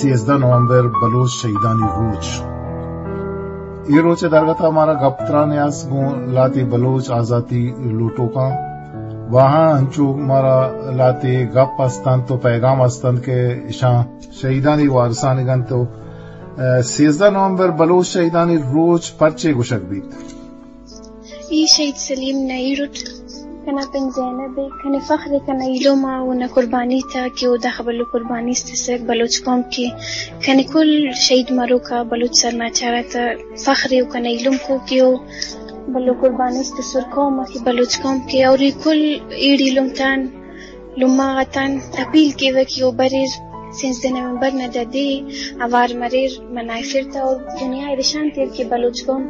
سیزدہ نومبر بلوچ شہیدانی روچ۔ اے روچ ءِ درگت ءَ مارا گپ تران ءِ است گوں لہتے بلوچ آزاتی لوٹوکاں۔ واہاں انچو مارا لہتے گپ است انت و پیغام است انت کہ اشاں شہیدانی وارثانگ انت و، ءَ، سیزدہ نومبر بلوچ شہیدانی روچ پرچے گوشگ بیت؟ اے شہید سلیم نا ایڑٹ کنا پن زینب ءِ، کنے فخر ءِ کنا ایلم ءَ و نا قربانی تا کہ او داخہ بلو قربانی است سک بلوچ قوم کے، کنے کل شہید مروکا بلوچ سرماچارا تا فخر ءِ و کنا ایلم کو کہ او بلو قربانی است سر قوم ءَ کہ بلوچ قوم کے، اور اے کل ایڑ ایلم تان لمہ غاتان اپیل کیوہ کہ او بریر، سیزدہ نومبر نا دا دے اوار مریر منائفر تا، اور دنیا ءَ رشان تیر کہ بلوچ قوم،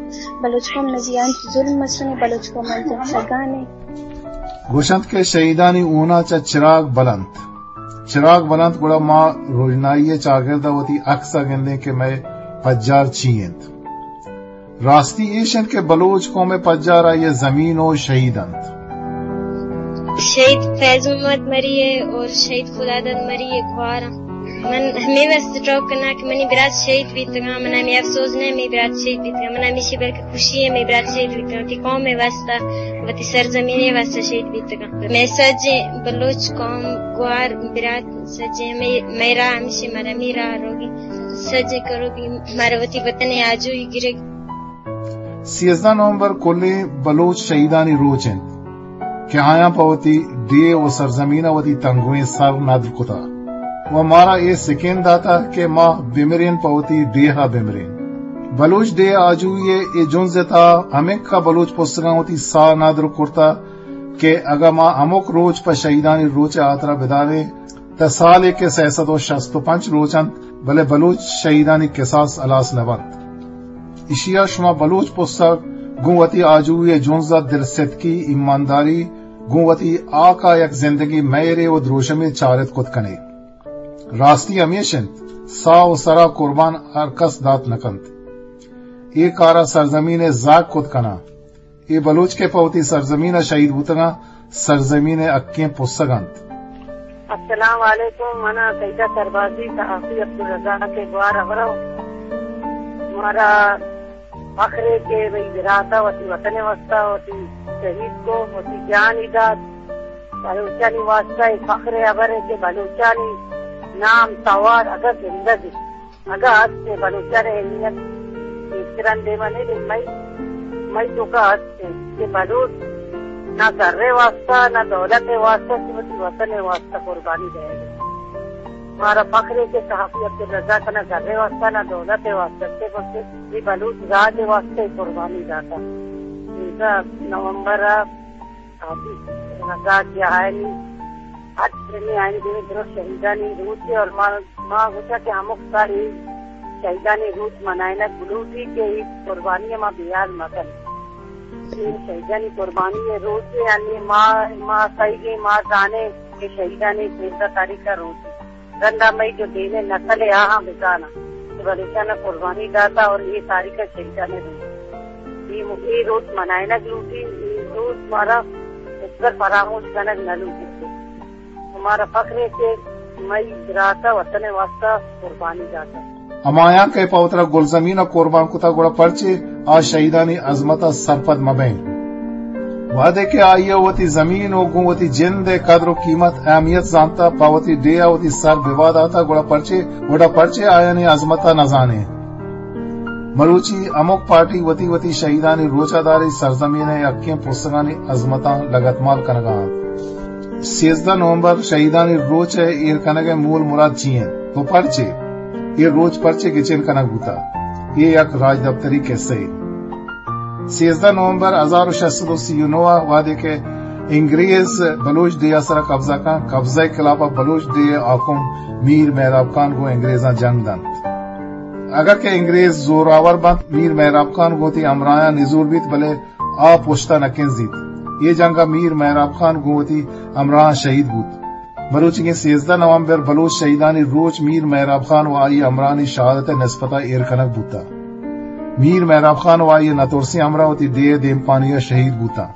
بلوچ قوم نا زیان ظلم مسنے، بلوچ قوم انت سگانے۔ گوشنت کہ شہیدانی اونا چہ چراگ بلنت، چراگ بلنت، گڑا ما روژنائی ءِ چاگرد ءَ وتی عکس ءَ گندیں کہ مئے پجار چی انت۔ راستی ایش انت کہ بلوچ قوم ءِ پجار آئی ءِ زمین و شہید انت۔ شہید فیض محمد مری ءِ اور شہید خداداد مری ءِ گوار آں۔ من ہمے واسطہ ٹوک کناں کہ منی برات شہید بیتگاں، من ہمے افسوس نہ منی برات شہید بیتگاں، من ہمیشی بلکہ خوشی ءِ منی برات شہید بیتگاں، وتی قوم ءِ واسطہ، وتی سرزمین ءِ واسطہ شہید بیتگاں۔ مئے سجیں بلوچ قوم گوار برات سجیں ہمے مئے راہ ہمیشی مرمی راہ روگی سجیں کروگی مارا وتی وطن ءِ آجوئی گرگ۔ سیزدہ نومبر کلیں بلوچ شہیدانی روچ انت کہ آیاں پہ وتی ڈیھ و سرزمین ءَ وتی تنگویں سر ندر کتا و مارا اے سکین داتا کہ ما بمرین، پہ وتی ڈیھ ءَ بمرین۔ بلوچ ڈیھ آجوئی ءِ اے جنز ءِ تہا ہمک ءَ بلوچ پسگاں وتی ساہ ندر کرتا کہ اگاں ما ہمک روچ پہ شہیدانی روچ ءِ ہاترا بداریں، تہ سالے کہ سئے سد و شست و پنچ روچ انت، بلے بلوچ شہیدانی کساس ہلاس نہ بنت۔ اشیا شما بلوچ پسگ گوں وتی آجوئی ءِ جنز ءَ دلستکی، ایمانداری، گوں وتی ہاک ءَ یک زندگی مہرے و دروشمے چارت کت کنے۔ راستی ہمیش انت، ساہ و سرا قربان ہر کس دات نہ کنت۔ اے کار ءَ سرزمین ءِ زاگ کت کناں۔ اے بلوچ کہ پہ وتی سرزمین ءَ شہید بوتگاں، سرزمین ءِ حقیں پسگ انت۔ السلام علیکم، من آں سیدہ سربازی، صحافی عبدالرزاق ءِ گوار ہبر ءَ۔ مارا فخرے کہ بھئی برات ءَ وتی وطن ءِ واسطہ وتی شہید کو، وتی جان ئی دات۔ بلوچانی واسطہ اے فخر ءِ ہبرے کہ بلوچانی نام توار اگاں زندگ انت، اگاں ہست ءِ بلوچان ءِ اہمیت ایشتران دیما نہ بیت۔ مئی، مئی توکا ہست ءِ کہ بلوچ نہ زر ءِ واسطہ، نہ دولت ءِ واسطہ، کہ وتی وطن ءِ واسطہ قربانی دئیگ ءَ۔ مارا فخر ءِ کہ صحافی عبدالرزاق نہ زر ءِ واسطہ، نہ دولت ءِ واسطہ، کہ بلکہ اے بلوچ راج ءِ واسطہ قربانی داتا۔ سیزدہ نومبر ءَ صحافی رضا کہ آیانی ہر سنی آیانی دیمے درست شہیدانی روچ ءِ، اور ما، ما گوشاں کہ ہمک سال اے شہیدانی روچ منائینگ بلوٹی کہ اے قربانی ءَ ما بیال مکن۔ اے شہیدانی قربانی ءِ روچ ءِ، یعنی ما، ما سہیگیں ما زانیں کہ شہیدانی سیزدہ تاریخ ءَ روچ ءِ۔ رندا مئی جو دیم ءِ نسل ءَ آہاں بزاناں کہ بلوچان ءَ قربانی داتا اور اے تاریخ ءَ شہیدان ءِ روچ۔ اے م-، اے روچ منائینگ لوٹی، اے روچ مارا ہچبر فراموش کنگ نہ لوٹیت۔ مارا فخر ءِ کہ مئی برات ءَ وطن ءِ واسطہ قربانی داتا۔ ہمایاں کہ پہ وترا گلزمین ءَ قربان کتا، گڑا پرچے آ شہیدانی عظمت ءَ سرپد مہ بئیں؟ وہدے کہ آئی ءَ وتی زمین ءُ گوں وتی جند ءِ قدر ءُ قیمت، اہمیت زانتا، پہ وتی ڈیھ ءَ وتی سر بوا داتا، گڑا پرچے، گڑا پرچے آیانی عظمت ءَ نہ زانیں؟ مروچی ہمک پارٹی وتی وتی شہیدانی روچ ءَ داری، سرزمین ءِ حقیں پرسگانی عظمتاں لگتمال کنگ ءَ انت۔ سیزدہ نومبر شہیدانی روچ ءِ ایر کنگ ءِ مول مراد چی انت ءُ پرچے؟ اے روچ پرچے گچین کنگ بوتا؟ اے یک راجدپتری کسہ ے۔ سیزدہ نومبر ہزار ءُ شش سد ءُ سی ءُ نو ءَ وہدے کہ انگریز بلوچ ڈیھ ءِ سرا قبضہ کن، قبضہ ءِ خلاف ءَ بلوچ ڈیھ ءِ حاکم میر مہراب خان گوں انگریزاں جنگ دنت۔ اگاں کہ انگریز زوراور بنت، میر مہراب خان گوں وتی ہمراہاں نزور بیت، بلے آ پشت ءَ نہ کنزیت۔ اے جنگ ءَ میر مہراب خان گوں وتی ہمراہاں شہید بوت۔ مروچیگیں سیزدہ نومبر بلوچ شہیدانی روچ میر مہراب خان ءُ آئی ءِ ہمراہانی شہادت ءِ نسبت ءَ ایر کنگ بوتگ۔ میر مہراب خان ءُ آئی ءِ نترسیں ہمراہ وتی ڈیھ ءِ دیمپانی ءَ شہید بوتاں۔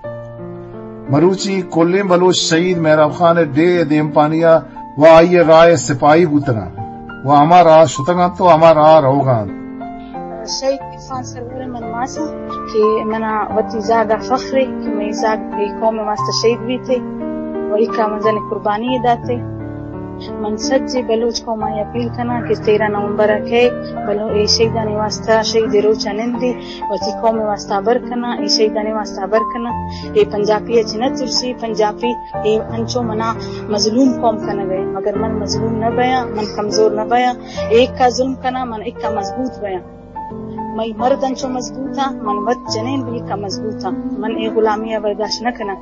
مروچی کلیں بلوچ شہید مہراب خان ءِ ڈیھ ءِ دیمپانی ءَ ءُ آئی ءِ راہ ءِ سپاہی بوتگ انت۔ و ہما راہ شتگ انت و ہما راہ روگ ءَ انت۔ شہید عرفان سرور من ماس آں کہ منا وتی زاگ ءَ فخر اے کہ مئی زاگ اے قوم ءِ واسطہ شہید بیتے و ایکا مزن قربانی داتے۔ من سجے بلوچ قوم ءَ اپیل کناں کہ تیرہ نومبر ءَ کئے بلو اے شہیدانی واسطہ شہید ءِ روچ ءَ نندی، وتی قوم ءِ واسطہ ہبر کناں، اے شہیدانی واسطہ ہبر کناں۔ اے پنجاپی ءَ چہ نہ ترسی، پنجاپی اے انچو منا مظلوم قوم کنگ ءَ، مگر من مظلوم نہ بیاں، من کمزور نہ بیاں۔ اے اکا ظلم کناں، من اکا مضبوط بیاں۔ مئی مرد انچو مضبوط آں، من وت جنین بھی اکا مضبوط آں۔ من اے غلامی ءَ برداشت نہ کناں۔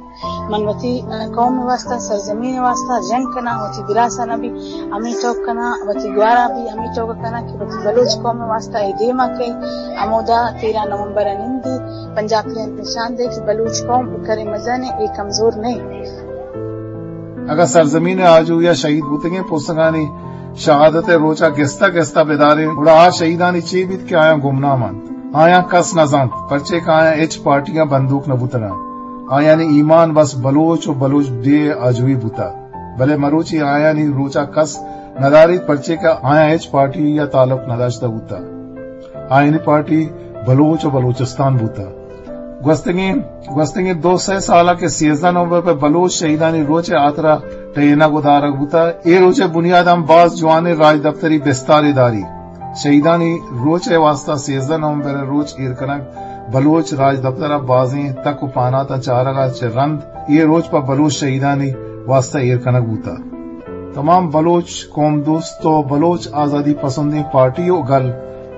من وتی، آ، قوم ءِ واسطہ، سرزمین ءِ واسطہ جنگ کناں، وتی براس ءَ نہ بھی ہمے ٹوک کناں، وتی گوار ءَ بھی ہمے ٹوک کناں کہ وتی بلوچ قوم ءِ واسطہ اے دیم ءَ کئے، ہمودا تیرہ نومبر ءَ نندی، پنجاپی ءَ نشان دے کہ بلوچ قوم اے کرے مزن اے، اے کمزور نہ اے۔ اگاں سرزمین ءِ آجوئی ءَ شہید بوتگیں پوسگانی شہادت ءِ روچ ءَ گستا گستا بداریں، گڑا آ شہیدانی چے بیت کہ آیاں گمنام انت؟ آیاں کس نہ زانت، پرچے کہ آیاں ہچ پارٹیاں بندوک نہ بوتگ انت۔ آیانی ایمان بس بلوچ و بلوچ ڈیھ ءِ آجوئی بوتگ۔ بلے مروچی آیانی روچ ءَ کس نہ داریت، پرچے کہ آیاں ہچ پارٹی ءَ تعلق نہ داشتہ بوتگ۔ آیانی پارٹی بلوچ و بلوچستان بوتگ۔ گوستگیں، گوستگیں دو سئے سال ءَ کہ سیزدہ نومبر پہ بلوچ شہیدانی روچ ءِ ہاترا ٹہینگ و دارگ بوتگ، اے روچ ءِ بنیاد ہم باز جوانیں راجدپتری بستارے داری۔ شہیدانی روچ ءِ واسطہ سیزدہ نومبر ءِ روچ ایر کنگ بلوچ راجدپتر ءَ بازیں تک و پہناتاں چارگ ءَ چہ رند اے روچ پہ بلوچ شہیدانی واسطہ ایر کنگ بوتگ۔ تمام بلوچ قوم دوست و بلوچ آزادی پسندیں پارٹی و گل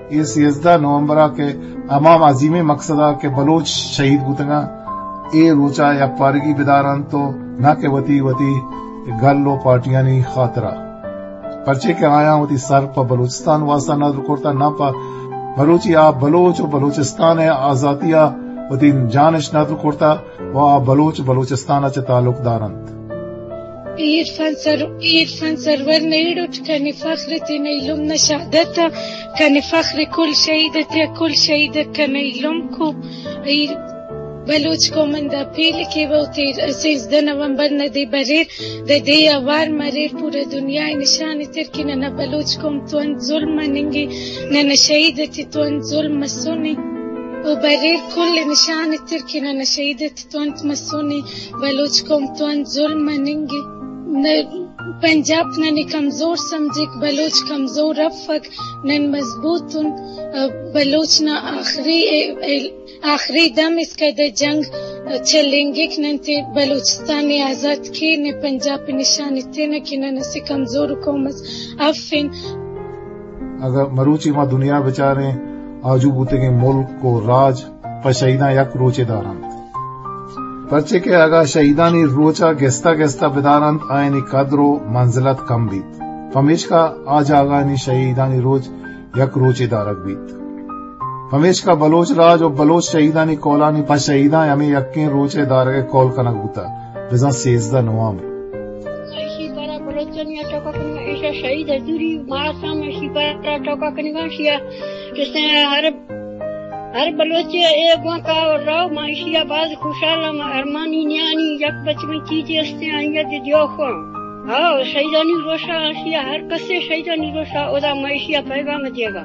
اے سیزدہ نومبر ءَ کہ ہما عظیمیں مقصد ءَ کہ بلوچ شہید بوتگ انت، اے روچ ءَ یکپارگی بدار انت و نہ کہ وتی وتی گل و پارٹیانی خاطر ءَ۔ پرچے کہ آیاں وتی سر پہ بلوچستان واسطہ ندر کرتہ، نہ پہ مروچی آ بلوچ و بلوچستان ءِ آزاتی ءَ وتی جانش ندر کرتہ و آ بلوچ بلوچستان ءَ چہ تعلق دار انت۔ اے عرفان سر، اے عرفان سرور نئے ڈوٹ کنے فخر تے نئے لم نہ شہادت کنے فخر کل شہید تے کل شہید کنے لم کو۔ اے بلوچ قوم ءَ اپیل کہ وتی سیزدہ نومبر ءَ دے بریر، دے دے آوار مریر، پورا دنیا ءَ نشان تر کہ ننا بلوچ قوم تو انت ظلم مننگی، ننا شہید تے تو انت ظلم مسونے۔ او بریر کل نشان تر کہ ننا شہید تے تو انت مسونے، بلوچ قوم تو انت ظلم مننگی۔ نہ پنجاب ننے کمزور سمجھک، بلوچ کمزور افک، نن مضبوط ان۔ بلوچ نا آخری آخری دم اسکا دے جنگ چلینگک، نن تے بلوچستان ء آزات کین، نہ پنجاب ء نشان ایتینہ کہ نن اسہ کمزور قوم اس افن۔ اگہ مروچی ما دنیا بچاریں، آجو بوتگیں ملک و راج پہ شہیداں یک روچے دارنت۔ پرچے کہ اگہ شہیدانی روچا گستہ گستہ بدارنت، آیانی قدر و منزلت کم بیت۔ پمیشکا آ جاگہانی شہیدانی روچ یک روچے دارگ بیت۔ پمیشکا بلوچ راج و بلوچ شہیدانی کولانی پہ شہیداں ہمے یکیں روچ ء دارگ ء کول کنگ بوتگ، بزاں سیزدہ نومبر۔ ایشی پارا بلوچانی ء ٹوکا کنگا، ایشا شہید حضوری مارسام ایشی پارا ٹوکا کنگا، ایشی ء جسے ہر، ہر بلوچ ء اے گوانکا رو، ما ایشی ء باز خوشحال ہم، ارمانی نیانی یک بچ میں چیزے ہستے آئی ء دیو خواں۔ ہاں، شہیدانی روشا آشیا ہر کسے شہیدانی روشا اودا مئے ایشیا پیغام دیگا۔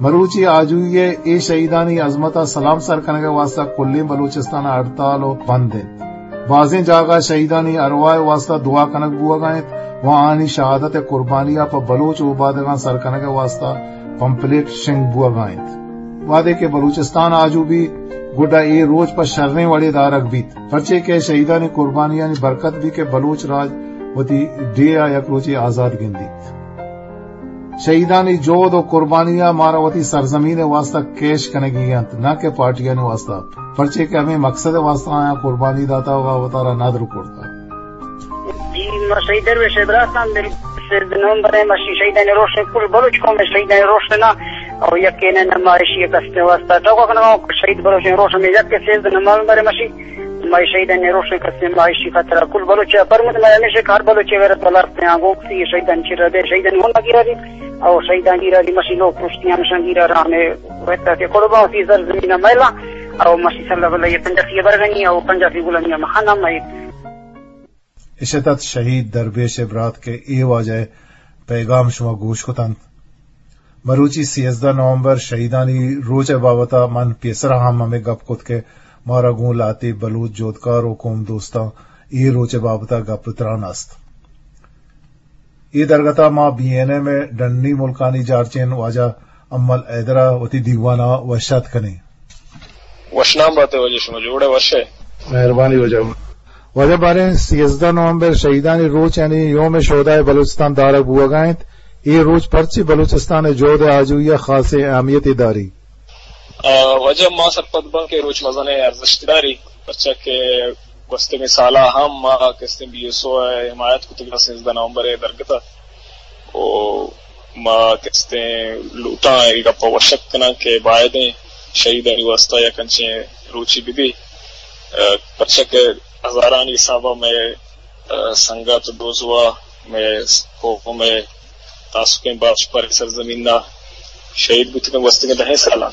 مروچی آجوئی ء اے شہیدانی عظمت ء سلام سر کنگ ء واستہ کلیں بلوچستان ء ہڑتال و بند انت۔ بازیں جاگہ شہیدانی ارواہ ء واستہ دعا کنگ بوہگا انت و آنی شہادت ء قربانی ء پہ بلوچ اوبادگاں سر کنگ ء واستہ پمپلیٹ شنگ بوہگا انت۔ وہدے کہ بلوچستان آجو بیت، گڈا اے روچ پہ شریں وڑے دارگ بیت۔ پرچے کہ شہیدانی قربانیانی برکت بی کہ بلوچ راج وتی ڈیہہ ء یک روچے آزاد گندیت۔ شہیدانی جہد و قربانی ء مارا وتی سرزمین ء واستہ کیش کنگی انت، نہ کہ پارٹیانی واستہ، پرچے کہ ہمے مقصد ء واستہ آیاں قربانی داتا و وتارا ندر کرتا۔ جی، ما شہید درویش ء براس آں، سیزدہ نومبر ء مشی شہیدانی روشن، کل بلوچ قوم ء شہیدانی روشن ء او یکے نہ، نہ ما ایشی ء کستے واستہ ٹوکا کنگا، شہید بلوچیں روشن میں یک سیزدہ نومبر ء مشی، ما شہیدانی روشن کستے ما ایشی خاطر کل بلوچ ء پرمود ما ہمیشہ ہر بلوچ ء غیرت والا ہستیں آں، گوک سی شہیدان چیرا دے، شہیدان ہونا گیرا دی، او شہیدان گیرا دی مشی لوگ پرشتیاں مشان گیرا رام ء وقت تے قربان سی سر زمین میلا، او مشی صلی اللہ علیہ پنجاسی برگنی، او پنجاسی غلامی مخانا مئی۔ اشتت شہید درویش ء برات کہ اے واجہ پیغام شما گوش کتنت۔ مروچی سیزدہ نومبر شہیدانی روچ ءِ بابت ءَ من پیسر ءَ ہم ہمے گپ کت کہ مارا گوں لہتے بلوچ جہدکار و قوم دوستاں اے روچ ءِ بابت ءَ گپ ءُ تران است۔ اے درگت ءَ ما بی این ایم ءِ ڈنی ملکانی جارچین واجہ امل حیدر ءَ وتی دیوان ءَ وش آتک کنیں۔ وشنام بات ئے واجہ، شما جوڑ ئے، وش ئے؟ مہربانی واجہ۔ واجہ باریں سیزدہ نومبر شہیدانی روچ یعنی یوم شہدائے بلوچستان دارگ بوگ ءَ انت، اے روچ پرچے بلوچستان ءِ جہد ءِ آجوئی ءَ خاصیں اہمیتے داری؟ آ، واجہ ما سرپد باں کہ روچ مزنیں ارزشت داری، پرچا کہ گوستگیں سال ءَ ہم ما کستیں بی ایس او ءِ حمایت کتگ ءَ سیزدہ نومبر ءِ درگت ءَ۔ و ما کستیں لوٹاں اے گپ ءَ وشت کناں کہ بائدیں شہیدانی واستہ یک انچیں روچے بہ بی، آ، پرچا کہ ہزارانی حساب ءَ مئے، آ، سنگت دوزواہ، مئے قوم ءِ تاسکیں بخش پر سرزمین ءَ شہید بوتگ انت گوستگیں دہیں سالاں۔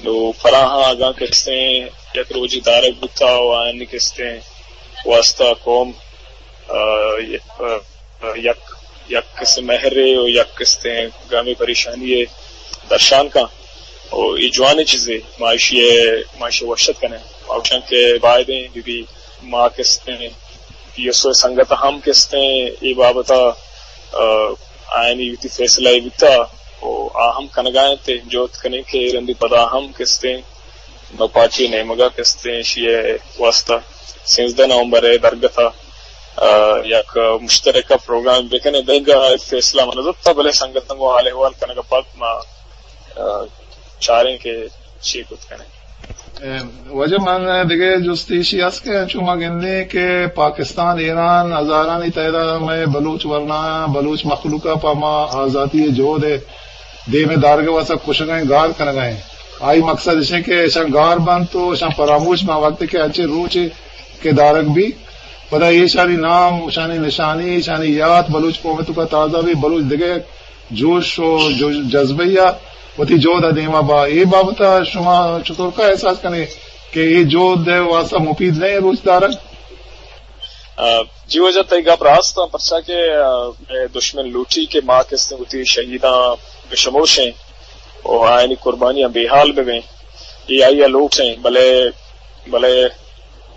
نو پراہاں اگاں کستیں یک روچے دارگ بوتا و آیانی کستیں واستہ قوم، آ، ی-، آ، یک، یک کستیں مہرے و یک کستیں گمے پریشانی ءِ درشان کن۔ و اے جوانیں چیزے، ما ایشی ءَ، ما ایشی ءَ وشت کنیں۔ ما گوشاں کہ بائدیں بہ بی ما کستیں بی ایس او ءِ سنگت ہم کستیں اے بابت ءَ، آ، آیانی وتی فیصلہ ءَ بوتا و آ ہم کنگا انت، جہد کنیں کہ رندی پدا ہم کستیں نوپاکی نیمگا کستیں ایشی ءِ واستہ سیزدہ نومبر ءِ درگت ءَ، آ، یک مشترکہ پروگرام بکنیں۔ دگہ فیصلہ من زرتا، بلے سنگتاں گوں حال احوال کنگ ءَ پد ما، آ، چاریں کہ چی کت کنیں۔ اے، واجہ من دگہ جست ایشی است کہ چو ما گندیں کہ پاکستان، ایران ہزارانی تعداد ءَ مئے بلوچ ورنایاں، بلوچ مخلوق ءَ پہ ما آزاتی ءِ جہد ءِ دیم ءَ دارگ ءِ واستہ کشگ ءَ انت، گار کنگ ءَ انت۔ آئی مقصد اش انت کہ اشاں گار بنت و اشاں فراموش بنت، وقتی کہ انچیں روچے کہ دارگ بی، پدا ایشانی نام، اشانی نشانی، اشانی یات بلوچ قوم ءِ توکا تازہ بی، بلوچ دگہ جوش و جو-، جذبہ ءَ وتی جہد ءَ دیما با۔ اے بابت ءَ شما چطور کا احساس کنے کہ اے جہد ءِ واستہ مفید نہ ایں روچ دارگ؟ آ، جی واجہ، تئی گپ راست انت، پرچا کہ، آ، اے دشمن لوٹی کہ ما کستیں وتی شہیداں بشموشیں و آیانی قربانیاں بے حال ببیں، اے آئی ءِ لوٹ انت، بلے، بلے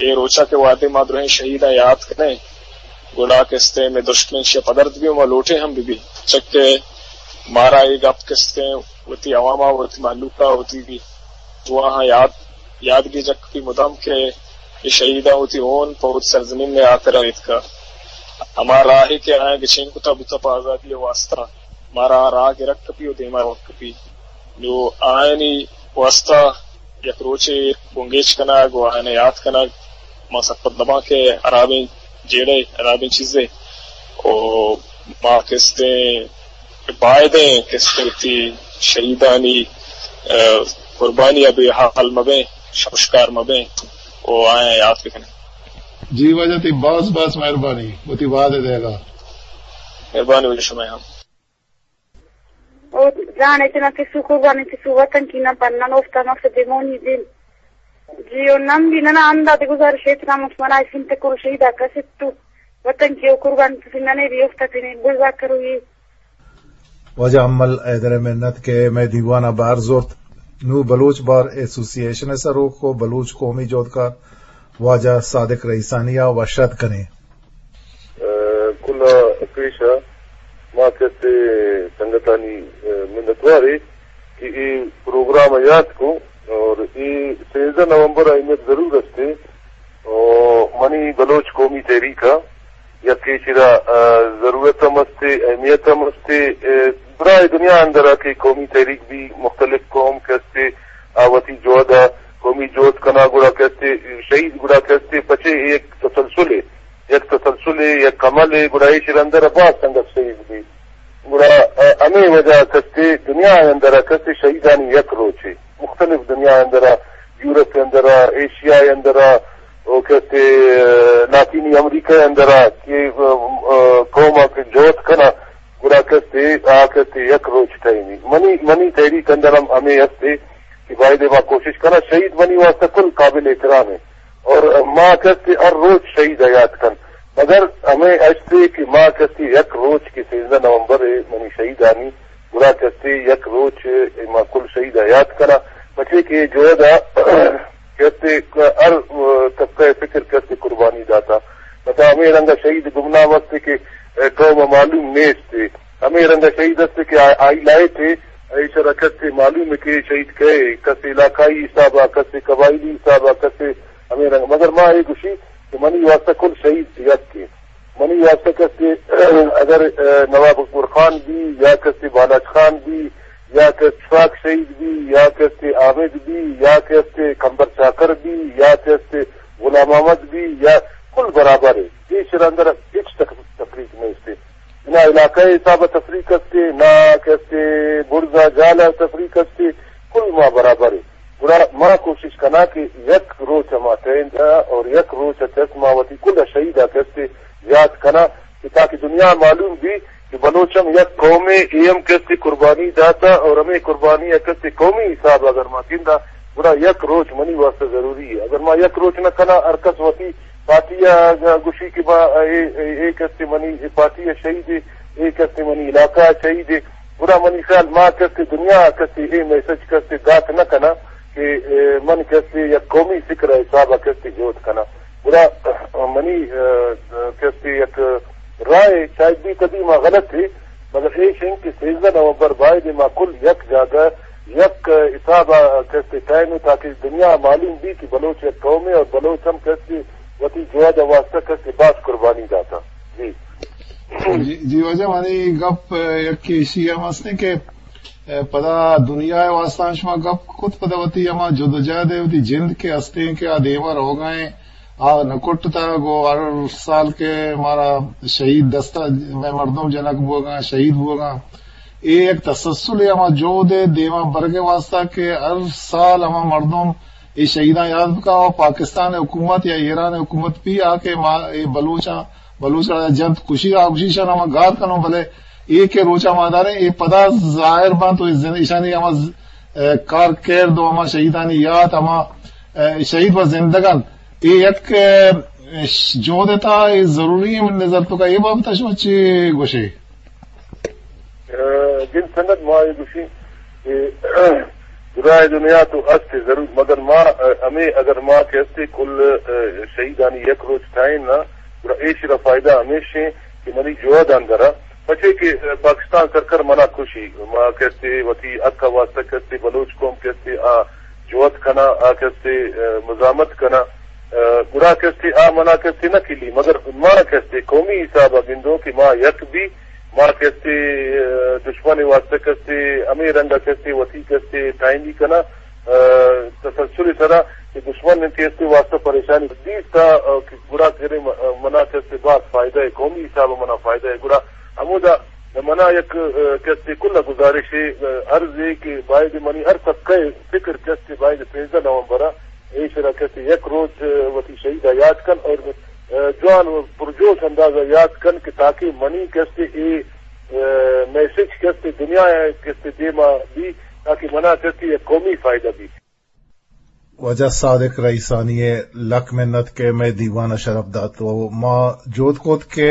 اے روچا کہ وہدے ما درہیں شہیداں یات کنیں، گڑا کستیں مئے دشمن شہ پدرد بی و ما لوٹیں ہم بہ بی، چکہ مارا اے گپ کستیں وتی عوام ءَ، وتی مہلوک ءَ، وتی دواہاں یاد، یاد گیجگ کپی مدام کہ اے شہیداں وتی ہون پہ وتی سرزمین ءِ ہاترا ریتکا۔ ہما راہے کہ آیاں گچین کتا بوتا پہ آزادی ءِ واستہ، مارا آ راہ گرگ کپی و دیما روگ کپی۔ نو آیانی واستہ یک روچے بنگیج کنگ و آیاں یات کنگ، ما سرپد نباں کہ ہرابیں جیڑے، ہرابیں چیزے۔ و ما کستیں بائدیں کستیں وتی شہیدانی، آ، قربانی ءَ بے حال مبیں، شمشکار مبیں و آیاں یات بکنیں۔ جی واجہ، تئی باز باز مہربانی وتی وہد ءِ دیگا۔ مہربانی واجہ، شمئے ہم۔ او جان اتنا پسو قربانی پسو وطن کی نہ پر نن اوفتا مقصد دیمونی دین۔ جی او نن بھی ننا انداز گزارش اتنا مطمئن آئی سنت کرو شہیدا کسیت تو وطن کی او قربانی پسو ننے بھی اوفتا تینے بزا کرو یہ۔ واجہ امل حیدر ءِ منت کہ مئے دیوان ءَ بہر زرت۔ نوں بلوچ بار ایسوسی ایشن ءِ سروک و بلوچ قومی جہدکار واجہ صادق رئیسانی ءَ وش آتک کنیں۔ ء، کل ء پیش ء ما کسے سنگتانی، ء، منتوار ایں کہ اے پروگرام ء یات کو اور اے سیزدہ نومبر ء اہمیت ضرور است۔ اور منی بلوچ قومی تحریک ء یک ایشرا، ء، ضرورت ہم است، اہمیت ہم است۔ ء، برائے دنیا اندر ء کہ قومی تحریک بھی مختلف قوم کہ است، آ وتی جہد ء قومی جہد کنا گڑا کہ است، شہید گڑا کہ است، پچے ایک تسلسل ہے، یک تسلسل ہے، یک عمل ہے، گڑا ایشرا اندر ء باز سنگت شہید بھی۔ گڑا، ء، ہمے وجہ کہ است دنیا ء اندر ء کہ است شہیدانی یک روچے مختلف دنیا ء اندر ء، یورپ ء اندر ء، ایشیا ء اندر ء، او کہ است، ء، لاطینی امریکہ ء اندر ء کہ، ء، ء، قوم ء کہ جہد کنا، گڑا کہ است، آ کہ است یک روچ ٹائمی۔ منی، منی تحریک اندر ہم ہمے است کہ بایدے ما کوشش کنا، شہید منی واسطہ کل قابل احترام ہے۔ اور ما کہ است ہر روچ شہید ء یات کن۔ مگر ہمے اشتے کہ ما کستے یک روچ کہ سیزدہ نومبر ء منی شہیدانی، گڑا کستے یک روچ ء ما کل شہید ء یات کناں، پچے کہ اے جہد ء کستے ہر طبقہ ء فکر کستے قربانی داتا۔ پدا ہمے رنگ ء شہید گمنام است کہ قوم ء معلوم نیست۔ ہمے رنگ ء شہید است کہ آ-، آئی لائٹ ء ایشرا کستے معلوم کہ شہید کئے، کسے علاقائی حساب ء، کسے قبائلی حساب ء، کسے ہمے رنگ۔ مگر ما اے گوشی کہ منی واسطہ کل شہید یک ء۔ منی واسطہ کستے اگر، ء، نواب اکبر خان بی یا کستے بالاچ خان بی یا کستے اسحاق شہید بی یا کستے حامد بی یا کستے کمبر چاکر بی یا کستے غلام احمد بی یا کل برابر ء۔ ایشرا اندر ہچ تک-، تفریق نیست۔ نہ علاقہ ء حساب ء تفریق است، نہ کستے برز ء جال ء تفریق است، کل ما برابر ایں۔ گڑا ما کوشش کناں کہ یک روچ ء ما ٹہین داں اور یک روچ ء چست ما وتی کل ء شہید ء کستے یات کناں کہ تاکہ دنیا ء معلوم بی کہ بلوچ ہم یک قومے، اے ہم کستے قربانی داتا اور ہمے قربانی ء کستے قومی حساب ء اگر ما گنداں گڑا یک روچ منی واسطہ ضروری ہے۔ اگر ما یک روچ نہ کناں، ہر کس وتی پارٹی ء گوشی کہ ما اے، اے، اے کستے منی اے پارٹی ء شہید ہے، اے کستے منی علاقہ ء شہید ہے، گڑا منی خیال ما کستے دنیا ء کستے اے میسج کستے دات نہ کناں کہ، اے، من کستے یک قومی فکر ء حساب ء کستے جہد کناں۔ گڑا منی، اے، کستے یک رائے شاید بھی کدی ما غلط ہے، مگر ایش انت کہ سیزدہ نومبر باید ما کل یک جاگہ یک حساب ء کستے ٹہینوں تاکہ دنیا ء معلوم بی کہ بلوچ یک قومے اور بلوچ ہم کستے وتی جہد ء واسطہ کستے باز قربانی داتا۔ جی۔ جی، جی واجہ، منی گپ، ء، یک ایشی ہم ہستیں کہ، ء، پدا دنیا ء واسطہ شما گپ کت، پدا وتی ہما جدوجہد ء وتی جند کہ ہستیں کہ آ دیما روگا ہیں، آ نہ کٹتا، گوں ہر سال کہ مارا شہید دستا مئے مردم جنگ بوگا، شہید بوگا۔ اے یک تسلسل ء ہما جہد ء دیما برگ ء واسطہ کہ ہر سال ہما مردم اے شہیداں یاد بکا، و پاکستان حکومت یا ایران حکومت بھی آ کہ ما اے بلوچاں، بلوچ را جنت کشی آ کشی شان ہما گار کنوں، بلے اے کہ روچا ما داریں، اے پدا ظاہر بنت و اے زن-، ایشانی ہما ز-، اے، کار کرد و ہما شہیدانی یات، ہما، اے، شہید و زندگان، اے یک، اے، ش-، جہد تا اے ضروری ہے۔ من نظر تو کا اے بابت شما چی گوشے؟ ء، جن سنگت ما اے گوشیں کہ دراہ دنیا تو است ضرور، مگر ما، ء، ہمیں اگر ما کہ استے کل، ء، شہیدانی یک روچ ٹائم نا، گڑا ایشی را فائدہ ہمیش ہیں کہ منی جواد اندرا، پچے کہ، ء، پاکستان سرکار منا کشی، ما کہ استے وتی حق واسطہ کہ استے بلوچ قوم کہ استے آ جواد کنا، آ کہ استے، ء، مزاحمت کنا، ء، گڑا کہ استے آ منا کہ استے نہ کلی، مگر ما کہ استے قومی حساب ء گندوں کہ ما یک بھی ما کہ استے، ء، دشمن واسطہ کہ استے ہمے رنگ کہ استے وتی کہ استے ٹائمی کنا، ء، تسلسل سرا کہ دشمن کہ استے واسطہ پریشانی دیستا، ء، کہ گڑا کرے م-، منا کہ استے باز فائدہ ہے، قومی حساب منا فائدہ ہے۔ گڑا ہمودا منا یک، ء، کہ استے کل گزارش ہے، ء، عرض ہے کہ باید منی ہر طبقہ فکر کہ استے باید سیزدہ نومبر ایشرا کسے یک روچ، ء، وتی شہید ء یات کن اور، ء، جوان و پرجوش انداز ء یات کن کہ تاکہ منی کسے اے، ء، میسج کسے دنیا ء کسے دیما بی تاکہ منا کسے یک قومی فائدہ بی۔ واجہ صادق رئیسانی ء لک منت کہ مئے دیوان ء شرپ دات و ما جہد کت کہ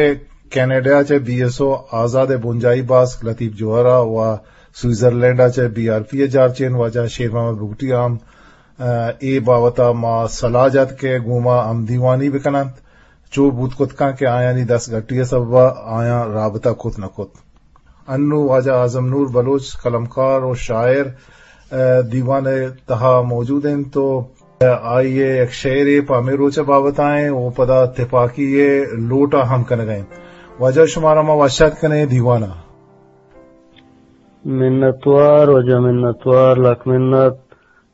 کینیڈا چہ بی ایس او آزاد ء بنجاہی باسک لطیف جوہر ء و سوئٹزرلینڈ ء چہ بی آر پی ء جارچین واجہ شیر محمد بگٹی ء ہم ء، اے بابت ء ما سلاہ جت کہ گوں ما ہمدیوانی بہ کن انت۔ چو بوت کت کنت کہ آیانی دست گٹی ء سبب ء آیاں رابطہ کت نہ کت۔ انوں واجہ اعظم نور بلوچ قلمکار و شاعر، ء، دیوان ء تہا موجود انت و آئی ء یک شعرے پہ ہمے روچ ء بابت ء انت و پدا تپاکی ء لوٹ ء ہم کنگ ء انت۔ واجہ شمارا ما وش آتک کنیں دیوان ء۔ منتوار واجہ، منتوار، لک منت۔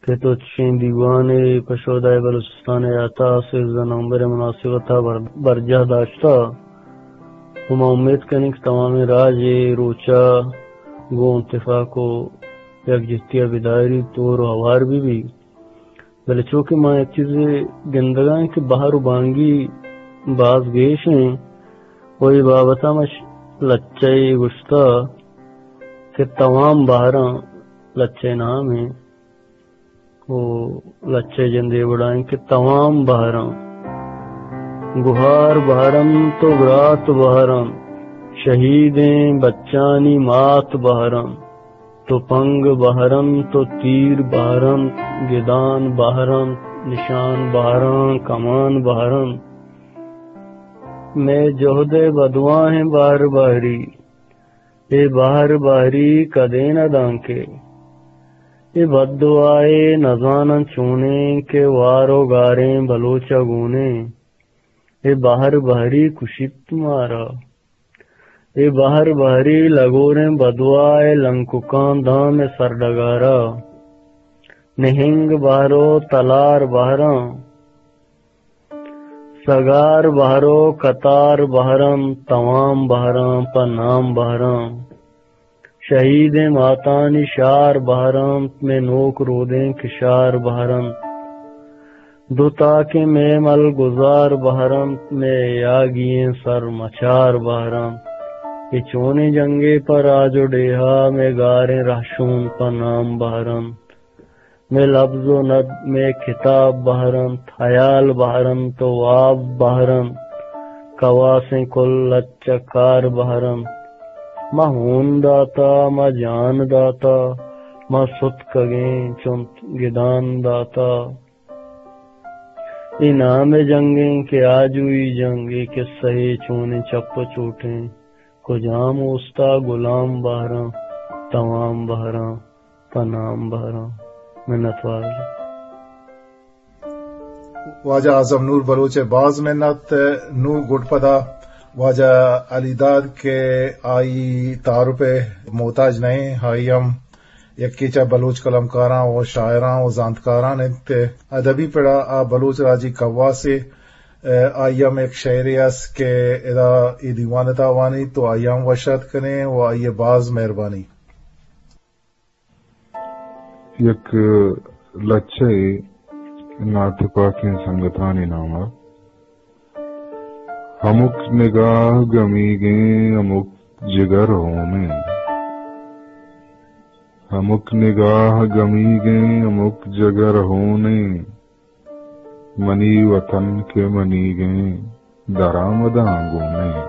کہ تو چشیں دیوانے پہ شہدائے بلوچستان ء عطا سیزدہ نومبر ء مناسبت ء بر-، برجاہ داشتہ و ما امیت کنیں کہ تمامیں راج اے روچ ء گوں اتفاق و یکجہتی ء بدائریت، ہور و ہوار بہ بیت۔ بلے چو کہ ما یک چیزے گندگا ایں کہ بہر و بانگی باز گیش ایں و اے بابت ء ما ش-، لچہ ء گوشتہ کہ توام بہراں لچہ ء نام ایں۔ و لچہ ء جند اے وڑا انت کہ توام بہراں۔ گہار بہر انت و برات بہر انت، شہیدیں بچانی مات بہر انت۔ تپنگ بہر انت و تیر بہر انت، گدان بہر انت، نشان بہر انت، کمان بہر انت۔ مئے جہد ءِ بدواہیں بہر بہری، اے بہر بہری کدین ءَ دانکہ، اے بددعائے نزاناں چونیں کہ وار و گاریں بلوچ ءَ گونیں۔ اے بہر بہری کشیت مارا۔ اے بہر بہری لگوریں بدواہ ءِ لنککاں داں مئے سرڈگار ءَ۔ نہنگ بہر و تلار بہر انت، سگار بہر و کتار بہر انت، توام بہر انت پہ نام بہر انت۔ شہیدیں ماتانی شار بہر انت، مئے نوک رودیں کشار بہر انت۔ دو تاکیں مئے ملگزار بہر انت، مئے یاگی ئیں سرمچار بہر انت۔ اے چونیں جنگے پہ راج و ڈیہا، مئے گاریں رہشون پہ نام بہر انت۔ مئے لبز و ند، مئے کتاب بہر انت، ہیال بہر انت و واب بہر انت۔ کواسیں کل لچہ کار بہر انت۔ ما ہون داتا، ما جان داتا، ما ستکگیں چنت گدان داتا۔ اے نام ءِ جنگیں کہ آجوئی جنگ، اے قصہ ءِ چونیں چپ و چوٹیں۔ کجام اوستا گلام بہراں، توام بہراں، پہ نام بہراں۔ منتوار۔ واجہ اعظم نور بلوچ ءِ باز منت۔ نوں گڈ پدا واجہ علی داد کہ آئی تعارف ءِ محتاج نہ ایں، آئی ہم یکے چہ بلوچ قلمکاراں و شاعراں و زانتکاراں انت۔ ادبی پڑا آ بلوچ راجی کواسے، آئی ہم یک شعرے است کہ ادا اے دیوان ءِ تہا وانیت و آئی ہم وش آتک کنیں و آئی ءِ باز مہربانی۔ یک لچہ ءِ ناتپاکیں سنگتانی نام ءَ۔ ہمک نگاہ گمیگیں، ہمک جگر ہونیں۔ ہمک نگاہ گمیگیں، ہمک جگر ہونیں۔ منی وطن کہ منیگیں، درآمداں گونیں۔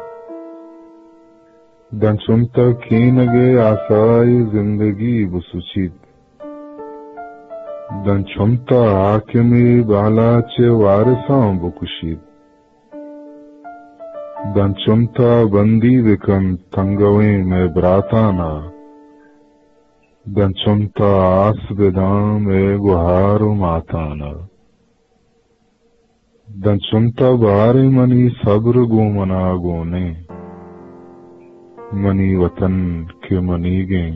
داں چنت ءَ کینگ ءِ آسائی زندگی بسچیت۔ داں چنت ءَ حاکمے بالاچ ءِ وارثاں بکشیت۔ داں چنت ءَ بندی بکنت تنگویں مئے براتان ءَ۔ داں چنت ءَ آس بداں مئے گہار و ماتان ءَ۔ داں چنت ءَ باریں منی صبر گوں منا گونیں۔ منی وطن کہ منیگیں،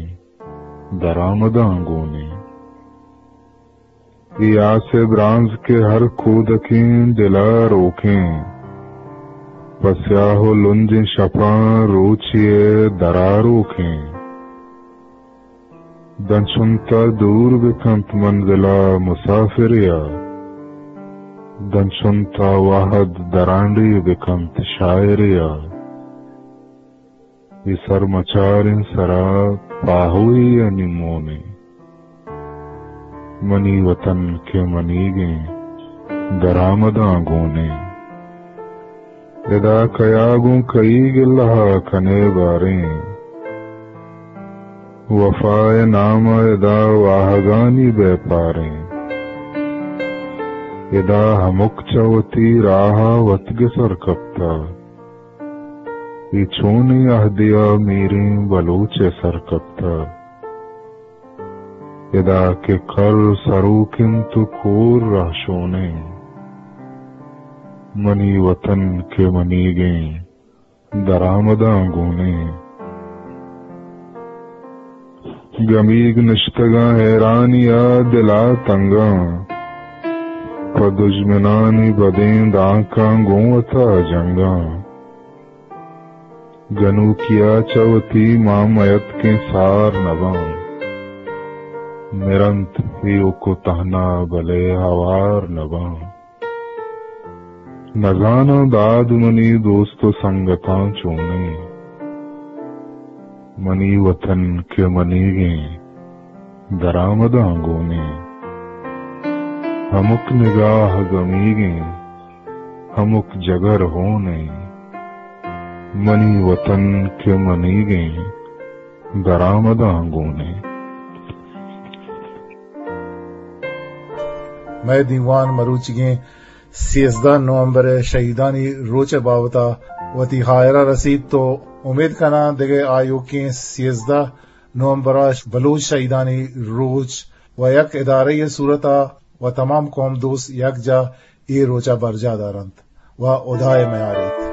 درآمداں گونیں۔ اے آس ءِ برانز کہ ہر کودکیں دل ءَ روکیں، پہ سیاہ و لنجیں شپاں روچے ءِ دراروکیں۔ داں چنت ءَ دور بکنت منزل ءَ مسافرے ءَ، داں چنت ءَ وہد درانڈے بکنت شاعرے ءَ۔ اے سرمچاریں سرا پاہوے ءِ نیمونیں۔ منی وطن کہ منیگیں، درآمداں گونیں۔ ادا کیا گوں کئی گلہ ءَ کنے باریں، وفا ءِ نام ءَ ادا واہگانی بیپاریں۔ ادا ہمک چہ وتی راہ ءَ وت گسر کپتہ۔ اے چونیں عہدے ءَ میریں بلوچ ءِ سر کپتہ۔ ادا کہ کر سروک انت و کور رہشونیں۔ منی وطن کہ منیگیں، درآمداں گونیں۔ گمیگ نشتگاں حیرانی ءَ دل ءَ تنگاں، پہ دژمنانی بدیں دانکاں گوں وتا جنگاں۔ گنوکی ءَ چہ وتی ماں میتکیں سار نباں، مرنت ایوک و تہنا بلے ہوار نباں۔ نزاناں داد منی دوست و سنگتاں چونیں، منی وطن کہ منیگیں، درآمداں گونیں۔ ہمک نگاہ گمیگیں، ہمک جگر ہون ایں، منی وطن کہ منیگیں درآمداں گون ایں۔ مئے دیوان مروچیگیں سیزدہ نومبر ءِ شہیدانی روچ ءِ بابت ءَ وتی ہائر ءَ رسیت تو امید کناں دگہ آیوکیں سیزدہ نومبر ءَ بلوچ شہیدانی روچ و یک ادارہ ءِ صورت ءَ و تمام قوم دوست یکجا اے روچ ءَ برجاہ دارنت و ہدا ءَ میاریت۔